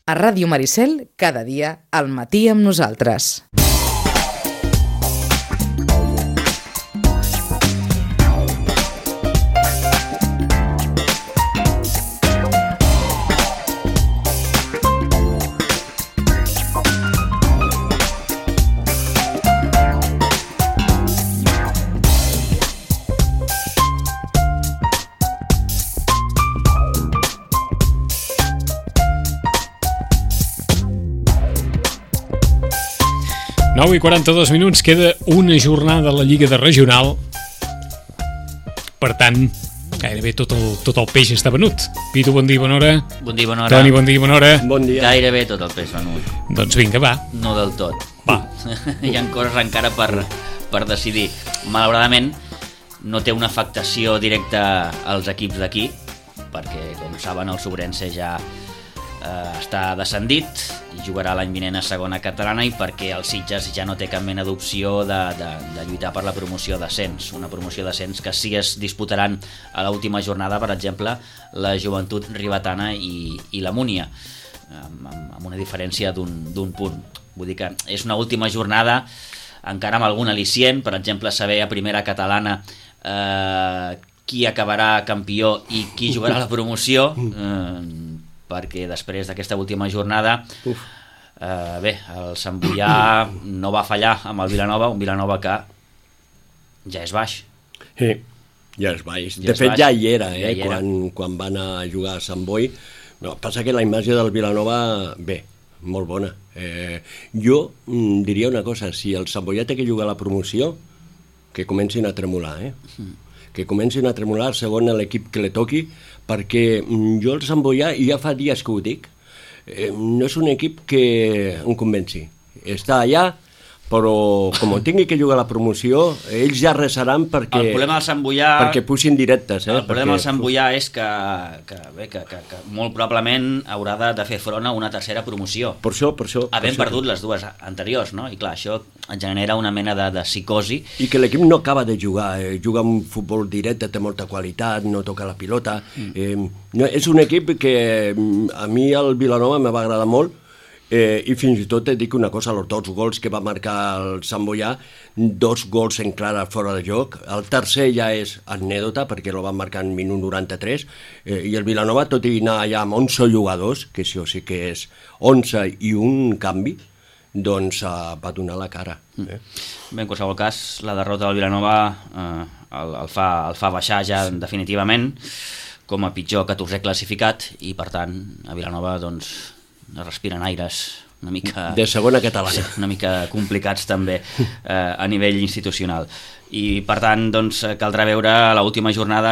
A Ràdio Maricel, cada dia, al matí amb nosaltres. Nou i 42 minuts, queda una jornada a la Lliga de Regional. Per tant, gairebé tot el peix està venut. Pitu, bon dia, bona hora. Bon dia, bona hora. Toni, bon dia, bona hora. Bon dia. Gairebé tot el peix venut. Doncs vinga, va. No del tot. Va. Hi ha coses encara per decidir. Malauradament, no té una afectació directa als equips d'aquí, perquè, com saben, el Sobrense ja està descendit i jugarà l'any vinent a segona catalana, i perquè el Sitges ja no té cap mena d'opció de lluitar per la promoció d'ascens, una promoció d'ascens que sí es disputaran a l'última jornada, per exemple, la Joventut Ribetana i la Múnia, amb una diferència d'un punt. Vull dir que és una última jornada encara amb algun al·licient, per exemple, saber a primera catalana qui acabarà campió i qui jugarà la promoció, perquè després d'aquesta última jornada el Sant Boià no va fallar amb el Vilanova, un Vilanova que ja és baix. Sí, ja és baix. De fet, ja hi era, quan van a jugar a Sant Boi. No, passa que la imatge del Vilanova, bé, molt bona. Jo diria una cosa, si el Sant Boià té que jugar a la promoció, que comencin a tremolar, que comencin a tremolar segon l'equip que li toqui, perquè jo el Sant Boià, i ja fa dies que ho dic, no és un equip que em convenci. Està allà, però com tingui que jugar a la promoció, ells ja resaran perquè... El problema del Sant Boià... Perquè puixin directes, El problema del Sant Boià és que molt probablement haurà de fer front a una tercera promoció. Per això. Havent perdut les dues anteriors, no? I clar, això genera una mena de psicosi. I que l'equip no acaba de jugar, juga un futbol directe, té molta qualitat, no toca la pilota. És un equip que a mi el Vilanova me va agradar molt, i fins i tot et dic una cosa, els dos gols que va marcar el Sant Boià, 2 gols en clara fora de joc, el tercer ja és anèdota perquè el van marcar en minut 93, i el Vilanova, tot i anar allà amb 11 jugadors, que això sí que és 11 i un canvi, doncs va donar la cara. Bé, en qualsevol cas, la derrota del Vilanova el fa baixar ja definitivament com a pitjor 14è classificat, i per tant a Vilanova doncs respiren aires una mica... De segona catalana. Sí, una mica complicats també a nivell institucional. I per tant doncs, caldrà veure a l'última jornada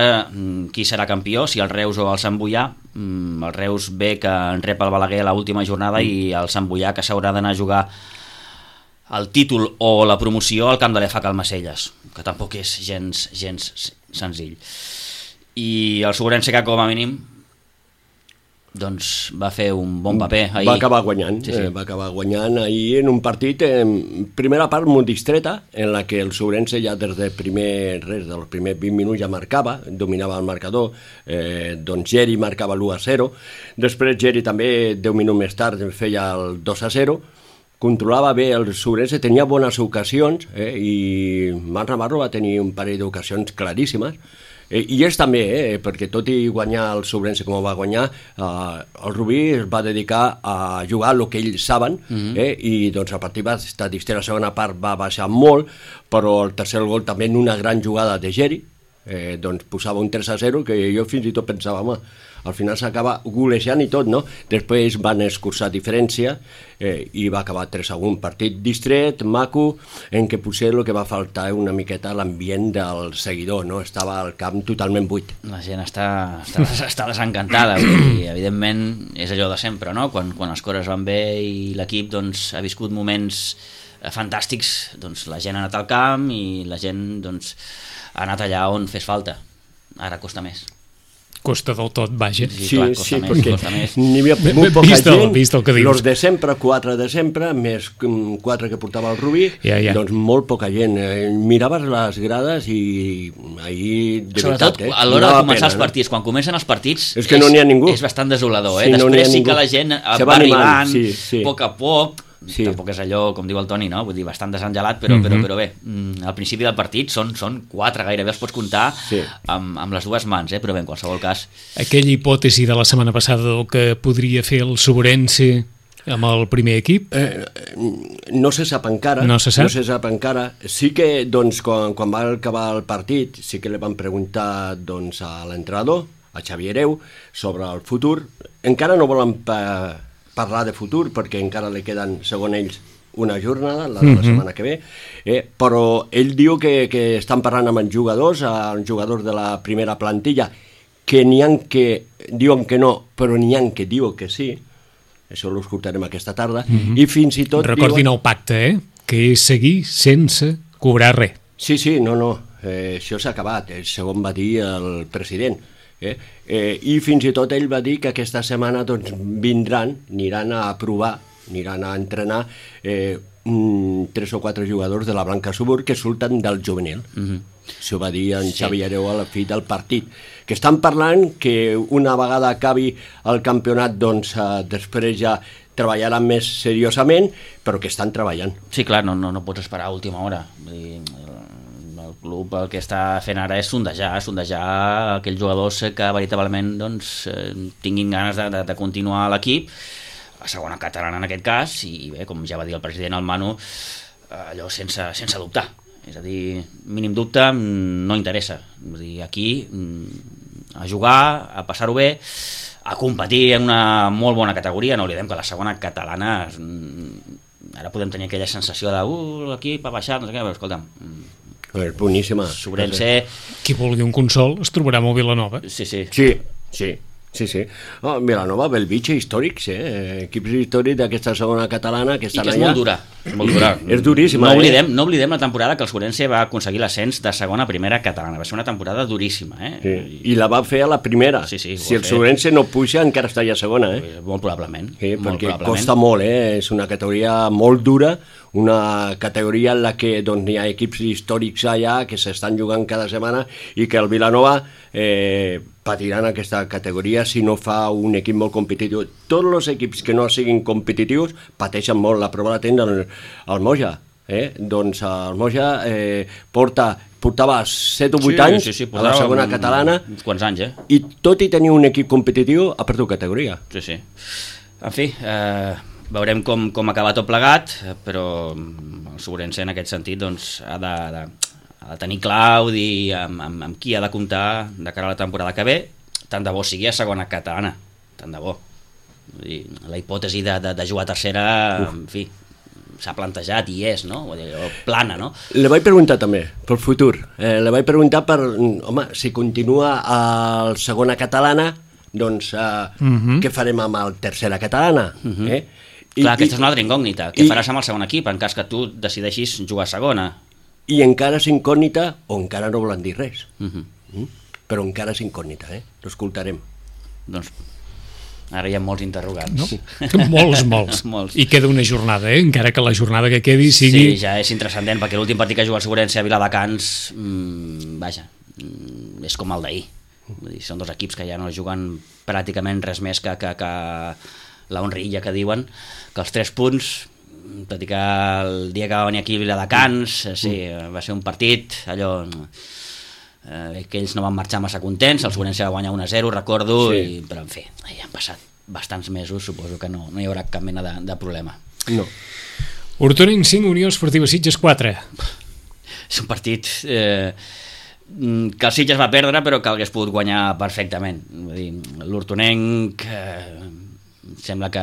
qui serà campió, si el Reus o el Sant Boià. El Reus ve que en rep el Balaguer a l'última jornada, i el Sant Boià que s'haurà d'anar a jugar el títol o la promoció al camp de l'EFAC Almacelles, que tampoc és gens senzill. I el Sobrense, que com a mínim doncs va fer un bon paper ahir. Va acabar guanyant, va acabar guanyant ahir en un partit, primera part molt distreta, en la que el Sobrense ja des dels primers 20 minuts ja marcava, dominava el marcador, doncs Geri marcava l'1-0, després Geri també 10 minuts més tard feia el 2-0, controlava bé el Sobrense, tenia bones ocasions, i Marc Navarro va tenir un parell d'ocasions claríssimes, i ells també, perquè tot i guanyar el Sobrense com va guanyar, el Rubí es va dedicar a jugar el que ells saben, i doncs el partit va estar distret, la segona part va baixar molt, però el tercer gol també en una gran jugada de Geri, doncs posava un 3-0 que jo fins i tot pensava, home, al final s'acaba golejant i tot, no? Després van escurçar diferència i va acabar 3-1, partit distret, maco, en què potser el que va faltar una miqueta l'ambient del seguidor, no? Estava al camp totalment buit. La gent està desencantada, i evidentment és allò de sempre, no? Quan les coses van bé i l'equip doncs, ha viscut moments fantàstics, doncs la gent ha anat al camp i la gent doncs, ha anat allà on fes falta. Ara costa més. costa del tot, vaja. Sí, clar, costa més, costa més. N'hi havia molt poca gent, vist el que dius. Los de sempre, 4 de sempre, més 4 que portava el Rubí, doncs molt poca gent. Miraves les grades i ahir, de sobretot veritat, a l'hora de començar els partits, quan comencen els partits és que no n'hi ha ningú. És bastant desolador, sí, després sí que la gent va arribant a poc a poc. Sí. Tampoc és allò, com diu el Toni, no? Vull dir, bastant desengelat, però bé, al principi del partit són 4, gairebé els pots comptar amb les dues mans, però bé, en qualsevol cas. Aquella hipòtesi de la setmana passada del que podria fer el Sobrense amb el primer equip? No se sap encara. No se sap encara. Sí que, doncs, quan va acabar el partit, sí que li van preguntar doncs, a l'entrenador, a Xavi Hereu, sobre el futur. Encara no volen parlar de futur perquè encara li queden, segons ells, una jornada, la setmana que ve, però ell diu que estan parlant amb els jugadors de la primera plantilla, que n'hi ha que diuen que no, però n'hi ha que diuen que sí, això ho escoltarem aquesta tarda, i fins i tot recordin el pacte, que és seguir sense cobrar res. Sí, no, això s'ha acabat, segons va dir el president. I fins i tot ell va dir que aquesta setmana doncs, aniran a provar, aniran a entrenar 3 o 4 jugadors de la Blanca Subur que surten del juvenil. Això va dir en Xavi Hereu a la fi del partit. Que estan parlant que una vegada acabi el campionat doncs, després ja treballaran més seriosament, però que estan treballant. Sí, clar, no pots esperar a última hora. Vull dir, el club el que està fent ara és sondejar aquells jugadors que veritablement doncs, tinguin ganes de continuar a l'equip, a segona catalana en aquest cas, i bé, com ja va dir el president el Manu, allò sense dubtar. És a dir, mínim dubte no interessa. Vull dir, aquí a jugar, a passar-ho bé, a competir en una molt bona categoria. No oblidem que la segona catalana ara podem tenir aquella sensació de l'equip ha baixat, no sé què, però escolta'm, és boníssima. Sobrense. Qui vulgui un consol es trobarà amb el Vilanova. Sí. Vilanova, Bellvitge, històrics, equips històrics d'aquesta segona catalana que estan allà. I que és molt dura. És duríssima. No oblidem la temporada que el Sobrense va aconseguir l'ascens de segona a primera catalana. Va ser una temporada duríssima. I la va fer a la primera. Sí, si el Sobrense no puja encara està ja segona. Molt probablement. Perquè costa molt, és una categoria molt dura, una categoria en la que doncs, hi ha equips històrics allà que s'estan jugant cada setmana i que el Vilanova patiran aquesta categoria si no fa un equip molt competitiu. Tots els equips que no siguin competitius pateixen molt. La prova la tenen el Moja. Doncs el Moja portava 7 o 8 anys a la segona catalana. Uns quants anys, I tot i tenir un equip competitiu ha perdut categoria. Sí. En fi, veurem com acaba tot plegat, però el Sobrense en aquest sentit doncs, ha de tenir clar amb qui ha de comptar de cara a la temporada que ve, tant de bo sigui a segona catalana, tant de bo. La hipòtesi de jugar a tercera, en fi, s'ha plantejat i és, no? Plana, no? Le vaig preguntar també, pel futur. Le vaig preguntar si continua a la segona catalana, doncs què farem amb la tercera catalana? Clar, aquesta és una altra incògnita. Què faràs amb el segon equip en cas que tu decideixis jugar a segona? I encara és incògnita o encara no volen dir res. Però encara és incògnita, l'escoltarem. Doncs ara hi ha molts interrogants. Molts. I queda una jornada, encara que la jornada que quedi sigui... Sí, ja és intrascendent, perquè l'últim partit que juga el Sobrense a Viladecans, és com el d'ahir. Són dos equips que ja no juguen pràcticament res més que la honrilla que diuen, que els 3 punts... tot i que el dia que va venir aquí a Viladecans va ser un partit allò que ells no van marxar massa contents, el Sobrense va guanyar 1-0, recordo, però en fi, ja han passat bastants mesos, suposo que no hi haurà cap mena de problema. No. Hortonenc 5, Unió Esportiva Sitges 4. És un partit que el Sitges va perdre però que hagués pogut guanyar perfectament. L'Hortonenc sembla que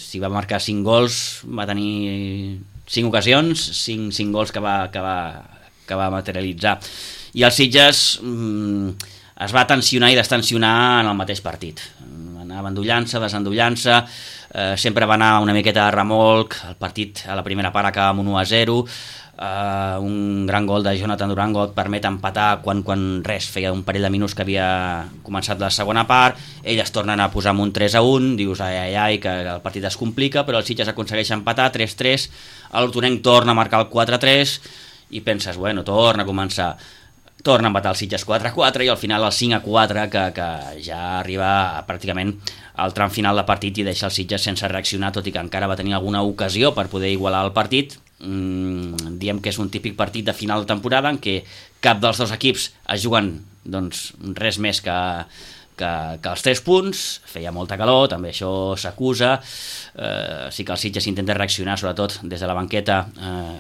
si va marcar 5 gols va tenir 5 ocasions, 5 gols que va materialitzar, i el Sitges es va tensionar i destensionar en el mateix partit, anava endollant-se, desendollant-se, sempre va anar una miqueta de remolc, el partit a la primera part acaba amb un 1-0, un gran gol de Jonathan Durango et permet empatar quan feia un parell de minuts que havia començat la segona part, elles tornen a posar un 3-1, dius ai, que el partit es complica, però el Sitges aconsegueix empatar 3-3, l'Hortonenc torna a marcar el 4-3 i penses, bueno, torna a empatar el Sitges 4-4 i al final el 5-4 que ja arriba pràcticament al tram final del partit i deixa el Sitges sense reaccionar, tot i que encara va tenir alguna ocasió per poder igualar el partit. Diem que és un típic partit de final de temporada en què cap dels dos equips es juguen doncs, res més que els 3 punts, feia molta calor, també això s'acusa, sí que el Sitges intenta reaccionar sobretot des de la banqueta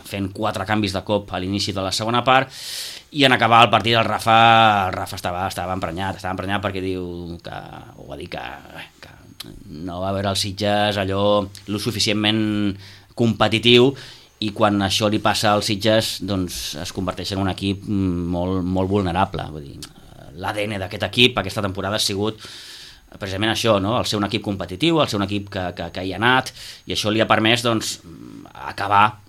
fent 4 canvis de cop a l'inici de la segona part i en acabar el partit el Rafa estava emprenyat perquè diu que no va veure el Sitges allò lo suficientment competitiu i quan això li passa als Sitges doncs es converteix en un equip molt, molt vulnerable. Vull dir, l'ADN d'aquest equip aquesta temporada ha sigut precisament això, no? El ser un equip competitiu, el ser un equip que hi ha anat i això li ha permès doncs, acabar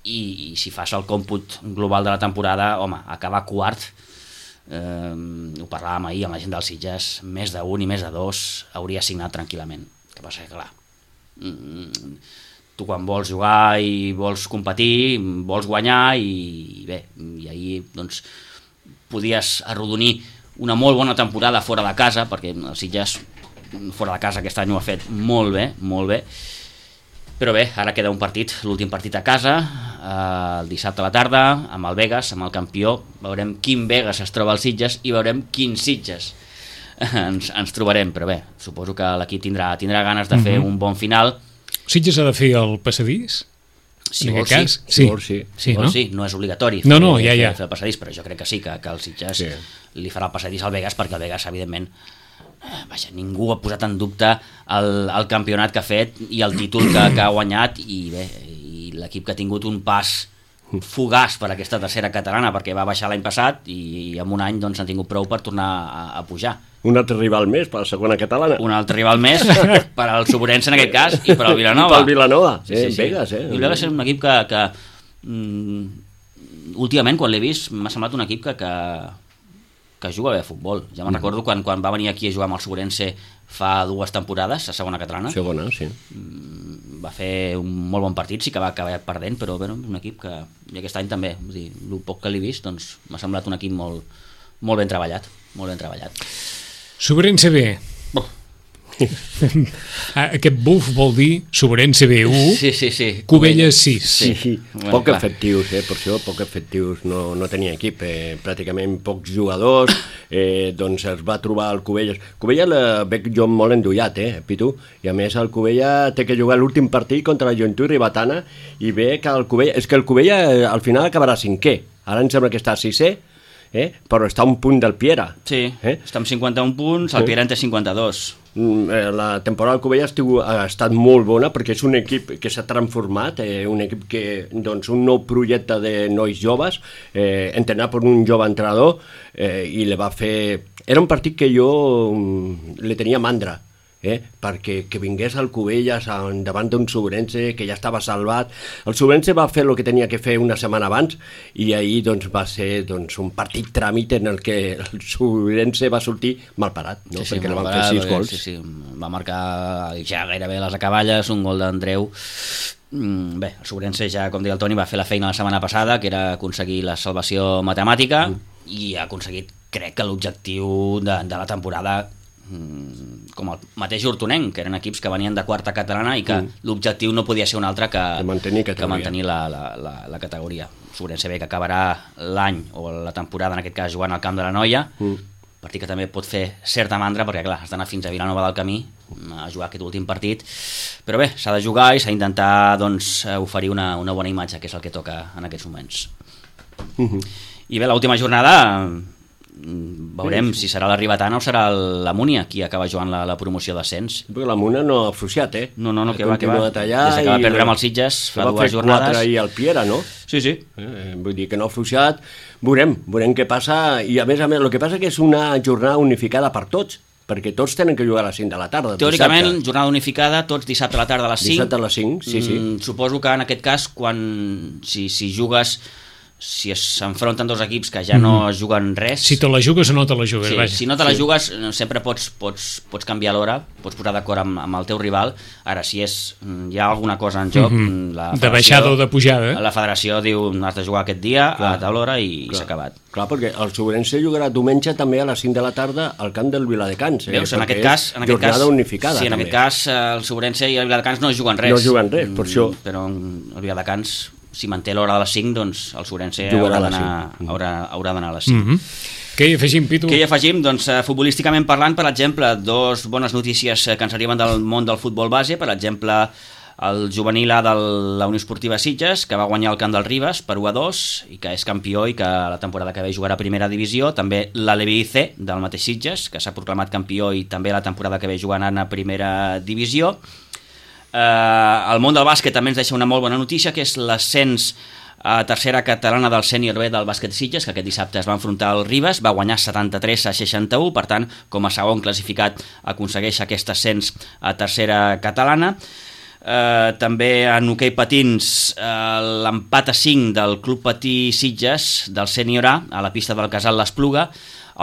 i si fas el còmput global de la temporada, home, acabar quart, ho parlàvem ahir amb la gent del Sitges, més d'1 i més de 2 hauria signat tranquil·lament. Que passa que, clar, tu quan vols jugar i vols competir, vols guanyar i bé, i ahir doncs podies arrodonir una molt bona temporada fora de casa, perquè el Sitges fora de casa aquest any ho ha fet molt bé, però bé, ara queda un partit, l'últim partit a casa, el dissabte a la tarda, amb el Vegas, amb el campió, veurem quin Vegas es troba al Sitges i veurem quin Sitges ens trobarem, però bé, suposo que l'equip tindrà ganes de fer un bon final. Sitges ha de fer el passadís? Si en vols, aquest cas? sí. Sí, no? Sí, no és obligatori fer el passadís, però jo crec que sí, que el Sitges li farà el passadís al Vegas, perquè el Vegas, evidentment, ningú ha posat en dubte el campionat que ha fet i el títol que ha guanyat i bé, i l'equip que ha tingut un pas fugaç per aquesta tercera catalana perquè va baixar l'any passat i en un any doncs han tingut prou per tornar a pujar. Un altre rival més per la segona catalana. Un altre rival més per al Soborense en aquest cas i per al Vilanova. Pel Vilanova, sí. Vegas. I el Vegas és un equip que últimament quan l'he vist m'ha semblat un equip que juga bé a futbol. Ja me'n recordo quan va venir aquí a jugar amb el Soborense fa 2 temporades a segona catalana. Segona, sí. Va fer un molt bon partit, sí que va acabar perdent, però bé, un equip que i aquest any també, vull dir, el poc que l'he vist doncs, m'ha semblat un equip molt ben treballat, Soborense B. Aquest buf vol dir Soborense B 1, sí. Cubelles 6. Sí. Poc efectius, per això poc efectius, no tenia equip, pràcticament pocs jugadors, doncs es va trobar el Cubelles. Cubelles veig jo molt endollat, Pitu, i a més el Cubelles té que jugar l'últim partit contra la Joventut Ribetana i ve que el Cubelles, és que el Cubelles al final acabarà 5è, ara em sembla que està 6è, però està a un punt del Piera. Sí, està amb 51 punts, el Piera en té 52. La temporada del Cubelles ha estat molt bona perquè és un equip que s'ha transformat, un equip que, doncs, un nou projecte de nois joves, entrenat per un jove entrenador, i le va fer... Era un partit que jo le tenia mandra, perquè que vingués al Cubelles davant d'un Soborense que ja estava salvat. El Soborense va fer el que tenia que fer una setmana abans i ahir doncs, va ser un partit tràmit en el que el Soborense va sortir malparat, no? Perquè li van fer 6 gols. Sí, va marcar ja gairebé les acaballes, un gol d'Andreu. Bé, el Soborense ja, com deia el Toni, va fer la feina la setmana passada, que era aconseguir la salvació matemàtica i ha aconseguit, crec que l'objectiu de la temporada, com el mateix Hortonenc, que eren equips que venien de quarta catalana i que l'objectiu no podia ser un altre que mantenir la categoria. Soborense B, que acabarà l'any o la temporada, en aquest cas, jugant al Camp de la Noia, partit que també pot fer certa mandra perquè, clar, has d'anar fins a Vilanova del Camí a jugar aquest últim partit, però bé, s'ha de jugar i s'ha d'intentar doncs, oferir una bona imatge, que és el que toca en aquests moments. I bé, l'última jornada veurem si serà la Ribetana o serà la Múnia qui acaba jugant la promoció d'ascens. Perquè la Múnia no ha afluixat, No, que va. Des que va perdre amb els Sitges fa 2 jornades. Va fer 4 ahir al Piera, no? Sí. Vull dir que no ha afluixat. Veurem què passa. I a més, el que passa que és una jornada unificada per tots, perquè tots tenen que jugar a les 5 de la tarda. Teòricament, dissabte. Jornada unificada, tots dissabte a la tarda a les 5. Dissabte a les 5, sí. Suposo que en aquest cas, si jugues si s'enfronten dos equips que ja no juguen res... Si te la jugues o no te la jugues, Sí, vaja. si no te la jugues, sempre pots canviar l'hora, pots posar d'acord amb el teu rival. Ara, si hi ha alguna cosa en joc... la de baixada o de pujada. La federació diu, has de jugar aquest dia a tal hora i s'ha acabat. Clar, perquè el Sobrense jugarà diumenge també a les 5 de la tarda al camp del Viladecans. Veus, en aquest cas... jornada unificada. Sí, en aquest cas el Sobrense i el Viladecans no juguen res. No juguen res, per això. Però el Viladecans, si manté l'hora de les 5, doncs el Sobrense Jugarà haurà d'anar a les 5. Què hi afegim, Pitu? Què hi afegim? Doncs futbolísticament parlant, per exemple, dos bones notícies que ens arriben del món del futbol base. Per exemple, el juvenil A de la Unió Esportiva Sitges, que va guanyar el camp del Ribes per 1-2 i que és campió i que la temporada que ve jugarà a primera divisió. També la Levi C del mateix Sitges, que s'ha proclamat campió i també la temporada que ve jugaran a primera divisió. El món del bàsquet també ens deixa una molt bona notícia, que és l'ascens a tercera catalana del sènior B del bàsquet Sitges, que aquest dissabte es va enfrontar al Ribes, va guanyar 73-61, per tant, com a segon classificat aconsegueix aquest ascens a tercera catalana. També en hoquei patins, l'empat a 5 del Club Patí Sitges del sènior A la pista del Casal l'Espluga.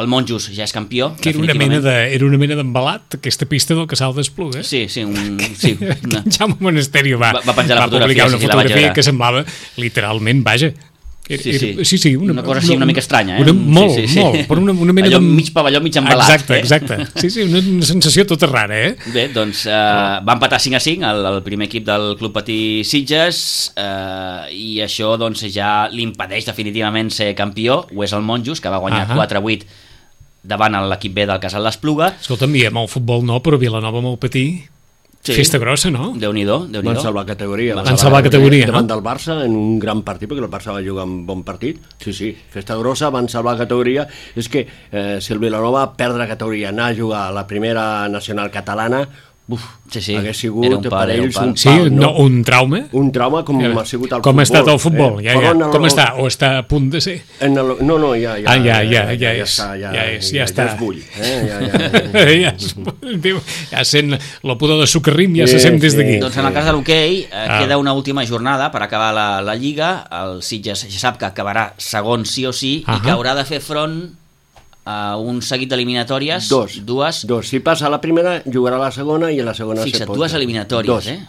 El Monjos ja és campió, que era una mena d'embalat, aquesta pista del Casal d'Espluga. Sí. Jaume Monasterio va penjar la publicar una fotografia que veure. semblava literalment, vaja. Sí, una cosa així una mica estranya, Molt, però una mena allò mig pavelló, mig embalat. Exacte. Sí, una sensació tota rara, Bé, doncs va empatar 5-5 el primer equip del Club Patí Sitges i això doncs ja l'impedeix definitivament ser campió. Ho és el Monjos, que va guanyar 4-8 davant l'equip B del Casal l'Espluga. Escolta'm, i amb el futbol no, però Vilanova molt Patí... Sí. Festa grossa, no? Déu-n'hi-do. Van salvar categoria. Davant del Barça en un gran partit, perquè el Barça va jugar un bon partit. Sí, festa grossa, van salvar categoria. És que si el Vilanova perdre categoria, anar a jugar a la primera nacional catalana, hagués sigut per ells un pal, no? Un trauma? Un trauma com ha sigut el futbol. Com ha estat el futbol, com està? O està a punt de ser? No, ja està. Es bull. Ja sent la pudor de Socarrim, ja se sent des d'aquí. Doncs en el cas de l'hoquei queda una última jornada per acabar la Lliga. El Sitges ja sap que acabarà segon sí o sí i que haurà de fer front a un seguit d'eliminatòries. Dues. Si passa a la primera, jugarà a la segona i a la segona Fixa't, dues eliminatòries,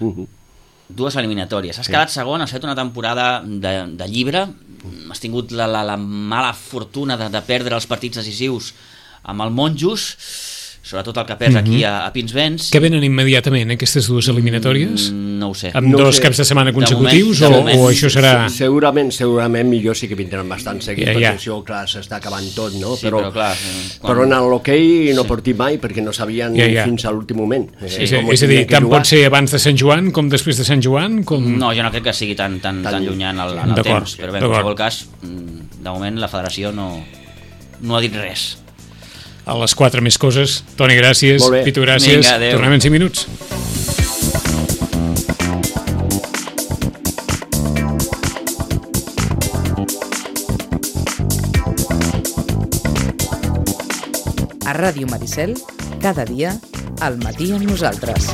Dues eliminatòries. Has quedat segon, has fet una temporada de llibre, has tingut la mala fortuna de perdre els partits decisius amb el Monjos, sobretot el que perds aquí a Pinsbens. Què venen immediatament aquestes dues eliminatòries? No ho sé. Amb dos caps de setmana consecutius o això serà... Segurament millor sí que vindran bastant seguits, perquè això, clar, s'està acabant tot, no? Sí, però clar... Però en l'hoquei no portim mai, perquè no sabien fins a l'últim moment. És a dir, tant pot ser abans de Sant Joan com després de Sant Joan? No, jo no crec que sigui tan llunyà en el temps, però bé, en qualsevol cas, de moment la federació no ha dit res. A les 4 més coses. Toni, gràcies. Pitu, gràcies. Vinga, tornem en 5 minuts. A Ràdio Maricel, cada dia, al matí amb nosaltres.